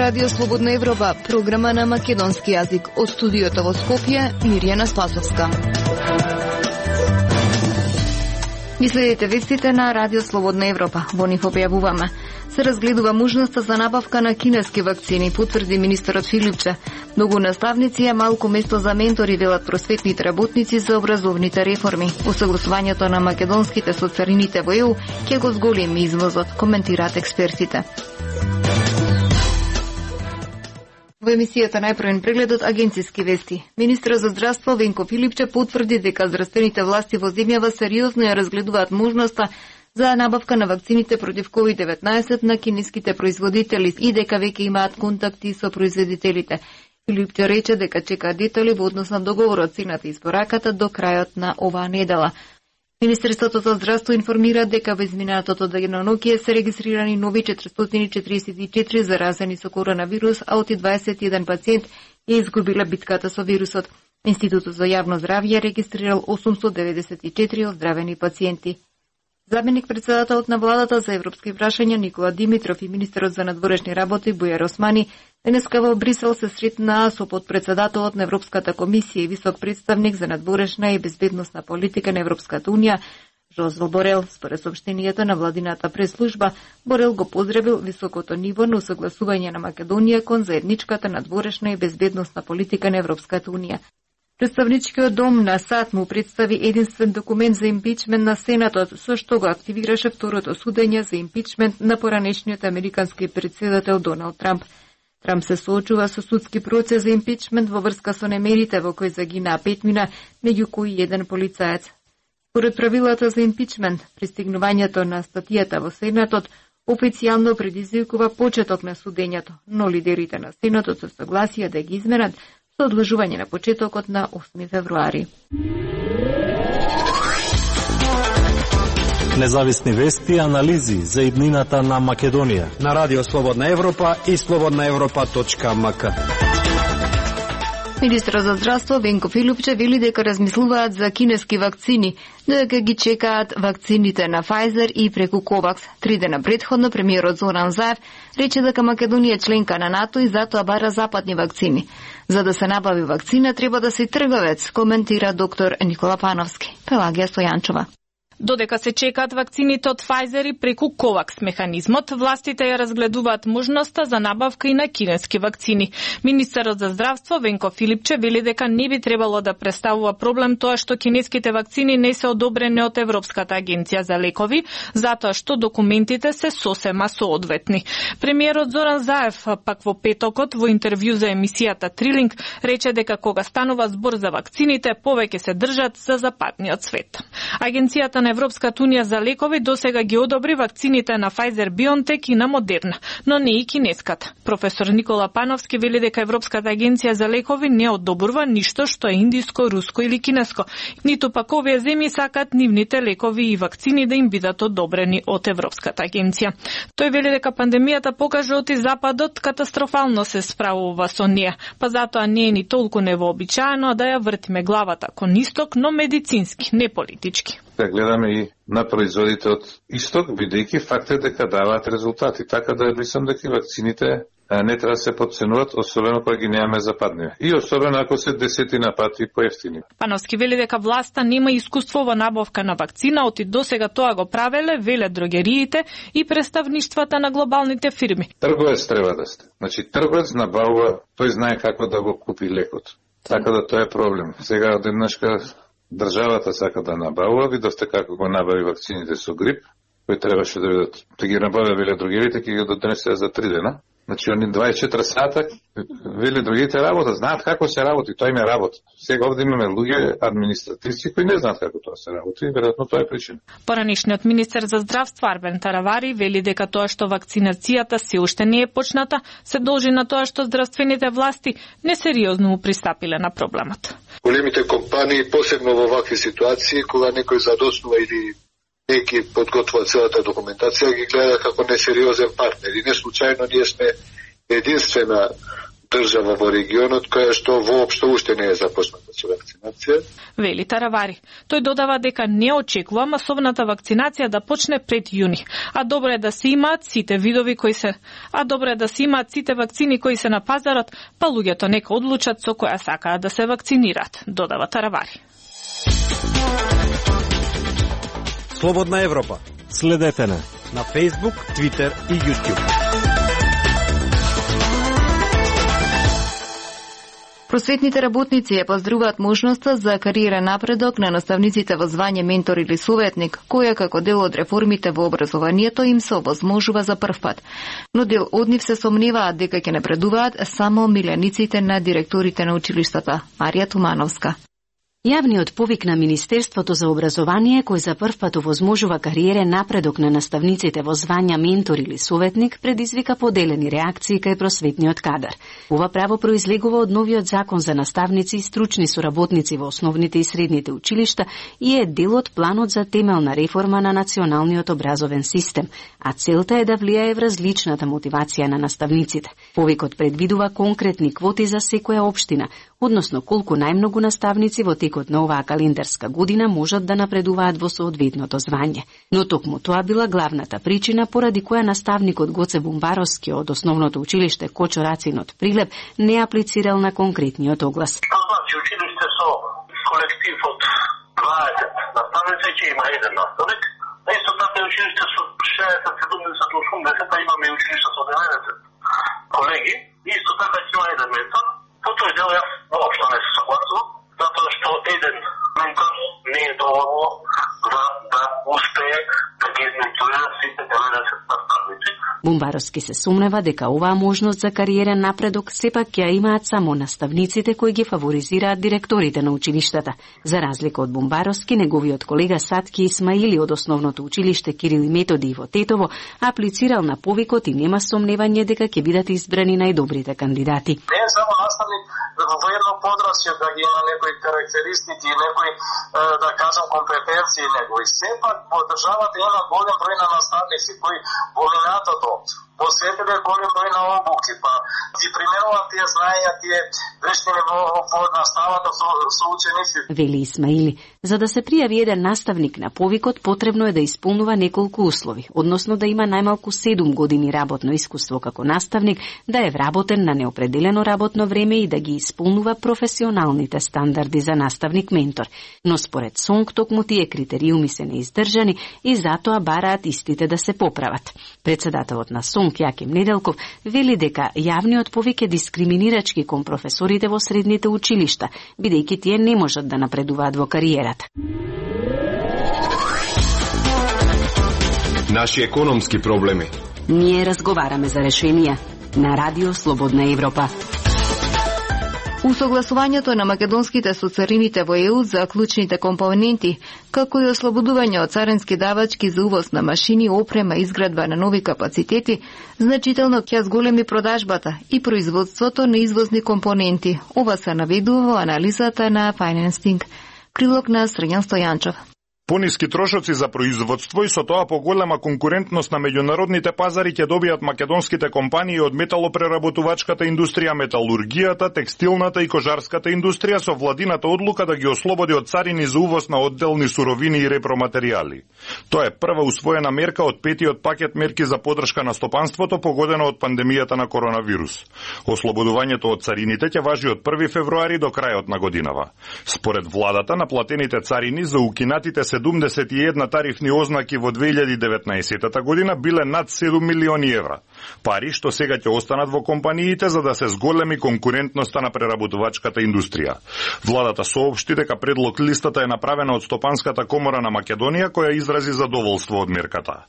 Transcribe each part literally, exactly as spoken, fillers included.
Радио Слободна Европа, програма на македонски јазик. Од студиото во Скопје, Мирјана Спасовска. Ги следите вестите на Радио Слободна Европа. Во нив објавуваме. Се разгледува можноста за набавка на кинески вакцини, потврди министерот Филипче. Многу наставници е малку место за ментори, велат просветните работници за образовните реформи. Усогласувањето на македонските со царините во Е У ќе го зголеми извозот, коментираат експертите. Во емисијата најпрвен прегледот агенциски вести. Министерот за здравство Венко Филипче потврди дека здравствените власти во земјава сериозно ја разгледуваат можноста за набавка на вакцините против ковид деветнаесет на кинеските производители и дека веќе имаат контакти со производителите. Филипче рече дека чекаат детали во однос на договорот, цената и испораката до крајот на оваа недела. Министерството за здравство информира дека во изминатото деноноќе се регистрирани нови четиристотини и четиридесет и четири заразени со коронавирус, а оти дваесет и еден пациент ја изгубила битката со вирусот. Институтот за јавно здравје регистрирал осумстотини деветдесет и четири оздравени пациенти. Заменик председателот на владата за европски прашања Никола Димитров и министерот за надворешни работи Бујар Османи денеска во Брисел се сретнаа со подпредседателот на Европската комисија и висок представник за надворешна и безбедносна политика на Европската унија Жозеф Борел. Според соопштението на владината прес-служба, Борел го поздравил високото ниво на усогласување на Македонија кон заедничката надворешна и безбедносна политика на Европската унија. Представничкиот дом на САД му представи единствен документ за импичмент на Сенатот, со што го активираше второто судење за импичмент на поранешниот американски председател Доналд Трамп. Трамп се соочува со судски процес за импичмент во врска со немерите во кои загинаа петмина, меѓу кои еден полицаец. Според правилата за импичмент, пристигнувањето на статијата во Сенатот официјално предизвикува почеток на судењето, но лидерите на Сенатот се согласија да ги изменат со одложување на почетокот на осми февруари. Независни вести и анализи за иднината на Македонија на Радио Слободна Европа и слободна европа точка ем ка. Министерот за здравство Венко Филипче вели дека размислуваат за кинески вакцини, дека ги чекаат вакцините на Pfizer и преку Ковакс. Три дена предходно премиерот Зоран Заев рече дека Македонија е членка на НАТО и затоа бара западни вакцини. За да се набави вакцина треба да се трговец, коментира доктор Никола Пановски. Пелагија Стојанчова. Додека се чекаат вакцините од Pfizer и преку Ковакс механизмот, властите ја разгледуваат можноста за набавка и на кинески вакцини. Министерот за здравство Венко Филипче вели дека не би требало да представува проблем тоа што кинеските вакцини не се одобрени од Европската агенција за лекови, затоа што документите се сосема соодветни. Премиерот Зоран Заев пак во петокот во интервју за емисијата Трилинг рече дека кога станува збор за вакцините, повеќе се држат за западниот свет. Агенцијата на Европската унија за лекови досега ги одобри вакцините на Pfizer BioNTech и на Модерна, но не и кинеската. Професор Никола Пановски вели дека Европската агенција за лекови не одобрува ништо што е индиско, руско или кинеско, ниту пак овие земји сакаат нивните лекови и вакцини да им бидат одобрени од Европската агенција. Тој вели дека пандемијата покажа оти Западот катастрофално се справува со неа, па затоа не е ни толку невообичаено да ја вртиме главата кон исток, но медицински, не политички. Да гледаме и на производите од исток, бидејќи факт е дека даваат резултати. Така да мислам дека вакцините не треба да се подценуваат, особено кога ги немаме западни. И особено ако се десетина пати поевтини. Пановски вели дека власта нема искуство во набавка на вакцина, оти досега тоа го правеле, веле дрогериите и представништвата на глобалните фирми. Трговец треба да сте. Значи трговец набавува, тој знае како да го купи лекот. Така да тоа е проблем. Сега одеднашка државата сака да набавува, видовте како го набави вакцините со грип, кои требаше да бидат, да ги набавя веле другирите, ќе ги донесе за три дена. Значи, они дваесет и четири сата, веле другите работа, знаат како се работи, тоа им е работа. Сега овде имаме луѓе административци кои не знаат како тоа се работи и веројатно тоа е причина. Поранешниот министер за здравство Арбен Таравари вели дека тоа што вакцинацијата се уште не е почната, се должи на тоа што здравствените власти несериозно му пристапиле на проблемот. Големите компании, посебно во вакви ситуации, кога некој задоснува или не ги подготвува целата документација, ги гледа како несериозен партнер. И не случајно ние сме единствена држава во регионот која што воопшто уште не е започната со вакцинација. Вели Таравари. Тој додава дека не очекува масовната вакцинација да почне пред јуни, а добро е да се имаат сите видови кои се, а добро е да се имаат сите вакцини кои се на пазарот, па луѓето нека одлучат со која сакаат да се вакцинираат, додава Таравари. Слободна Европа. Следете не на Facebook, Twitter и YouTube. Просветните работници ја поздравуваат можноста за кариера напредок на наставниците во звање ментор или советник, која како дел од реформите во образованието им се овозможува за прв пат. Но дел од нив се сомневаат дека ќе напредуваат само милениците на директорите на училиштата. Марија Тумановска. Јавниот повик на Министерството за образование, кој за прв пат овозможува кариерен напредок на наставниците во звања ментор или советник, предизвика поделени реакции кај просветниот кадар. Ова право произлегува од новиот закон за наставници и стручни соработници во основните и средните училишта и е дел од планот за темелна реформа на националниот образовен систем, а целта е да влијае врз личната мотивација на наставниците. Повикот предвидува конкретни квоти за секоја општина, односно колку најмногу наставници во текот на оваа календарска година можат да напредуваат во соодветното звање. Но токму тоа била главната причина поради која наставникот Гоце Бумбаровски од основното училиште Кочо Рацин од Прилеп не аплицирал на конкретниот оглас. Значи, училиште со колектив од дваесет наставници ќе има еден наставник, а исто така училиште со шеесет, седумдесет, осумдесет, а имаме и училиште со деветдесет колеги, и исто така ќе има еден ментор. По тој дел јас воопшто не се согласувам, затоа што еден ментор не е доволно за да успее да ги изменторира сите деветдесет наставници. Бумбаровски се сумнева дека оваа можност за кариерен напредок сепак ќе ја имаат само наставниците кои ги фаворизираат директорите на училиштата. За разлика од Бумбаровски, неговиот колега Сатки Исмаили од основното училиште Кирил и Методи во Тетово аплицирал на повикот и нема сомневање дека ќе бидат избрани најдобрите кандидати. Не е само наставник во едно подраствие да ги има некои карактеристики и некои, да кажам, компетенции негови. Сепак во државата има голем број на наставници кои во минатото посветиле голем број на обуки, па ги применуваат тие знаења, тие вештини во, во наставата со, со ученици. Вели Исмаили, за да се пријави еден наставник на повикот, потребно е да исполнува неколку услови, односно да има најмалку седум години работно искуство како наставник, да е вработен на неопределено работно време и да ги исполнува професионалните стандарди за наставник-ментор. Но според СОНК токму тие критериуми се неиздржани и затоа бараат истите да се поправат. Председателот на СОНК Јаким Неделков вели дека јавниот повик е дискриминирачки кон професорите во средните училишта, бидејќи тие не можат да напредуваат во кариерата. Наши економски проблеми. Ние разговараме за решенија на Радио Слободна Европа. Усогласувањето на македонските со царините во ЕУ за клучните компоненти, како и ослободување од царински давачки за увоз на машини, опрема и изградба на нови капацитети, значително ќе зголеми продажбата и производството на извозни компоненти. Ова се наведува во анализата на Financing. Прилог на Срđan Стојанчов. Пониски трошоци за производство и со тоа поголема конкурентност на меѓународните пазари ќе добијат македонските компании од металопреработувачката индустрија, металургијата, текстилната и кожарската индустрија со владината одлука да ги ослободи од царини за увоз на одделни суровини и repроматеријали. Тоа е прва усвоена мерка од петиот пакет мерки за подршка на стопанството погодено од пандемијата на коронавирус. Ослободувањето од царините ќе важи од први февруари до крајот на годинава. Според владата, наплатените царини за укинатите седумдесет и една тарифни ознаки во две илјади и деветнаесетта година биле над седум милиони евра. Пари што сега ќе останат во компаниите за да се зголеми конкурентноста на преработувачката индустрија. Владата соопшти дека предлог листата е направена од Стопанската комора на Македонија, која изрази задоволство од мерката.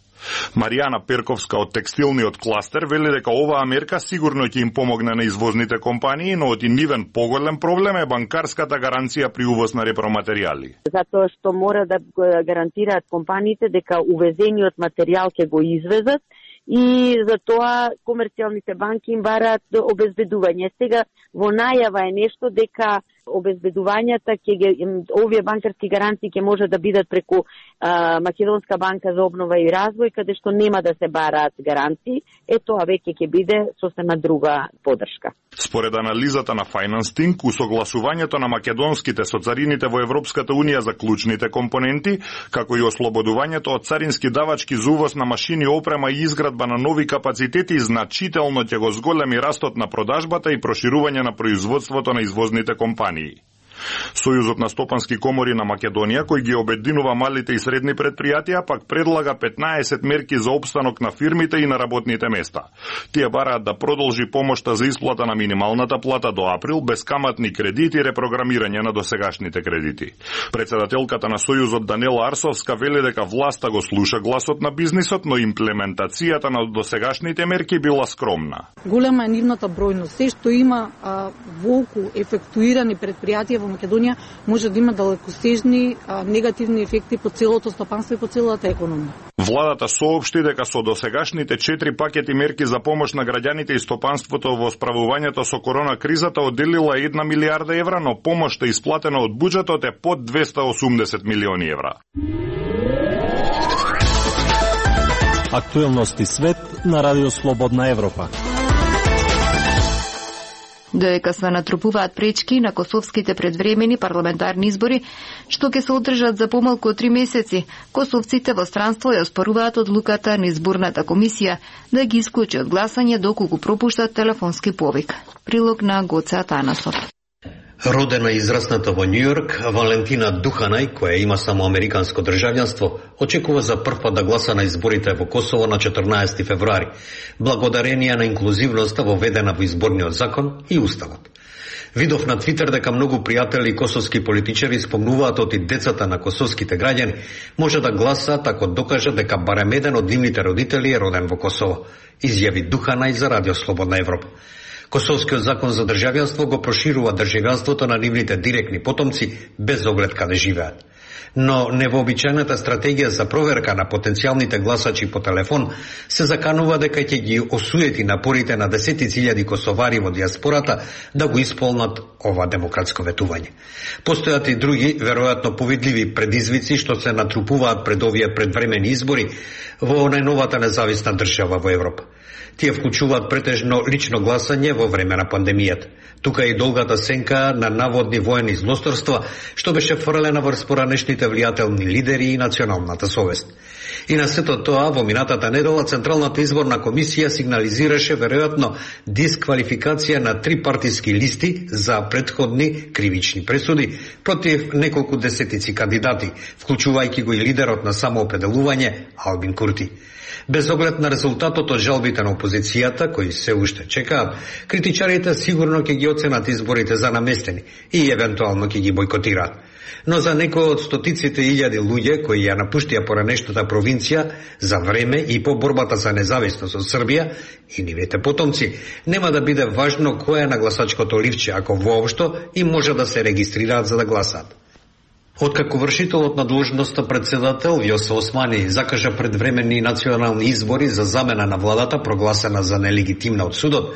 Маријана Перковска од текстилниот кластер вели дека оваа мерка сигурно ќе им помогне на извозните компании, но од нивен поголем проблем е банкарската гаранција при увоз на repроматеријали. Затоа што мора да гарантираат компаниите дека увезениот материјал ќе го извезат и за тоа комерцијалните банки им бараат обезбедување. Сега во најава е нешто дека Обезбедувањата ќе ги, овие банкарски гаранции ќе може да бидат преку а, Македонска банка за обнова и развој, каде што нема да се бараат гаранции, е тоа веќе ќе биде сосема друга подршка. Според анализата на Financing, усогласувањето на македонските со царините во Европската унија за клучните компоненти, како и ослободувањето од царински давачки за увоз на машини, опрема и изградба на нови капацитети значително ќе го зголеми растот на продажбата и проширување на производството на извозните компании. Сојузот на стопански комори на Македонија, кој ги обединува малите и средни предпријатија, пак предлага петнаесет мерки за опстанок на фирмите и на работните места. Тие бараат да продолжи помошта за исплата на минималната плата до април, безкаматни кредити и репрограмирање на досегашните кредити. Председателката на Сојузот Данела Арсовска вели дека власта го слуша гласот на бизнисот, но имплементацијата на досегашните мерки била скромна. Голема е нивната бројност. Се што има а, волку ефектуирани предпријатија во Македонија може да има далекостежни а, негативни ефекти по целото стопанство и по целата економија. Владата соопшти дека со досегашните четири пакети мерки за помош на граѓаните и стопанството во справувањето со корона кризата одделила една милијарда евра, но помошта исплатена од буџетот е под двесте и осумдесет милиони евра. Актуелности свет на Радио Слободна Европа. Додека се натрупуваат пречки на косовските предвремени парламентарни избори, што ќе се одржат за помалку од три месеци, косовците во странство ја оспоруваат одлуката на изборната комисија да ги исклучи од гласање доколку пропуштат телефонски повик. Прилог на Гоце Атанасов. Родена и израсната во Њујорк, Валентина Духанај, која има само американско државјанство, очекува за прв пат да гласа на изборите во Косово на четрнаесети февруари, благодарение на инклузивноста воведена во изборниот закон и уставот. Видов на Твитер дека многу пријатели и косовски политичари спомнуваат оти децата на косовските граѓани може да гласаат ако докажат дека барем еден од нивните родители е роден во Косово, изјави Духанај за Радио Слободна Европа. Косовскиот закон за државјанство го проширува државјанството на нивните директни потомци без оглед каде живеат. Но невообичајната стратегија за проверка на потенцијалните гласачи по телефон се заканува дека ќе ги осуети напорите на десетици илјади косовари во диаспората да го исполнат ова демократско ветување. Постојат и други, веројатно повидливи предизвици што се натрупуваат пред овие предвремени избори во најновата независна држава во Европа. Тие вклучуваат претежно лично гласање во време на пандемијата. Тука и долгата сенка на наводни воени злосторства, што беше фрлена врз поранешните влијателни лидери и националната совест. И на сето тоа, во минатата недела, Централната изборна комисија сигнализираше веројатно дисквалификација на три партиски листи за претходни кривични пресуди против неколку десетици кандидати, вклучувајќи го и лидерот на самоопределување Албин Курти. Без оглед на резултатот од жалбите на опозицијата, кои се уште чекаат, критичарите сигурно ќе ги оценат изборите за наместени и евентуално ќе ги бойкотираат. Но за некои од стотиците илјади луѓе кои ја напуштија поранешната провинција за време и по борбата за независност од Србија и нивните потомци, нема да биде важно кој е на гласачкото ливче, ако воопшто и може да се регистрираат за да гласаат. Откако вршителот на дложноста председател Вјоса Османи закажа предвременни национални избори за замена на владата прогласена за нелегитимна од судот,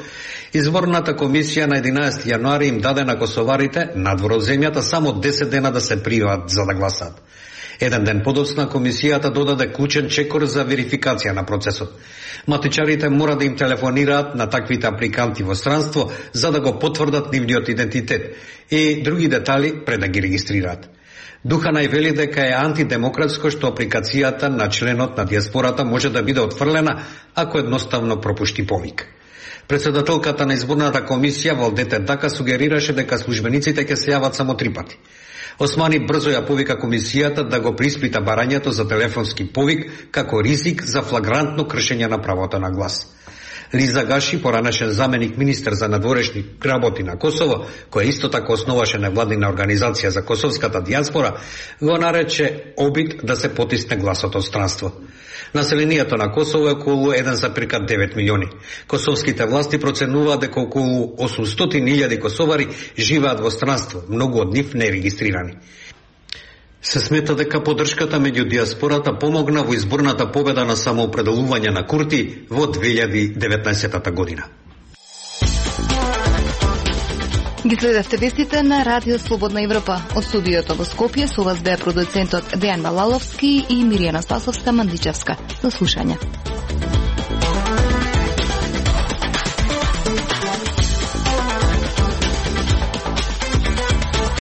изборната комисија на единаесети јануари им даде на косоварите надвор од земјата само десет дена да се пријават за да гласаат. Еден ден подоцна комисијата додаде клучен чекор за верификација на процесот. Матичарите мора да им телефонираат на таквите апликанти во странство за да го потврдат нивниот идентитет и други детали пред да ги регистрираат. Духанај вели дека е антидемократско што апликацијата на членот на диаспората може да биде отфрлена ако едноставно пропушти повик. Председателката на изборната комисија Валдете Дака сугерираше дека службениците ќе се јават само три пати. Османи брзо ја повика комисијата да го приспита барањето за телефонски повик како ризик за флагрантно кршење на правото на глас. Лиза Гаши, поранешен заменик министер за надворешни работи на Косово, која исто така основаше невладина организација за косовската диаспора, го нарече обид да се потисне гласот од странство. Населението на Косово е околу еден запирка девет милиони. Косовските власти проценуваат дека околу осумстотини илјади косовари живеат во странство, многу од нив нерегистрирани. Се смета дека поддршката меѓу диаспората помогна во изборната победа на самоопределување на Курти во две илјади и деветнаесета година. Ги следевте вестите на Радио Слободна Европа. Од студиото во Скопје со вас беа продуцентот Дејан Балаловски и Миријана Спасовска-Мандичевска. До слушање.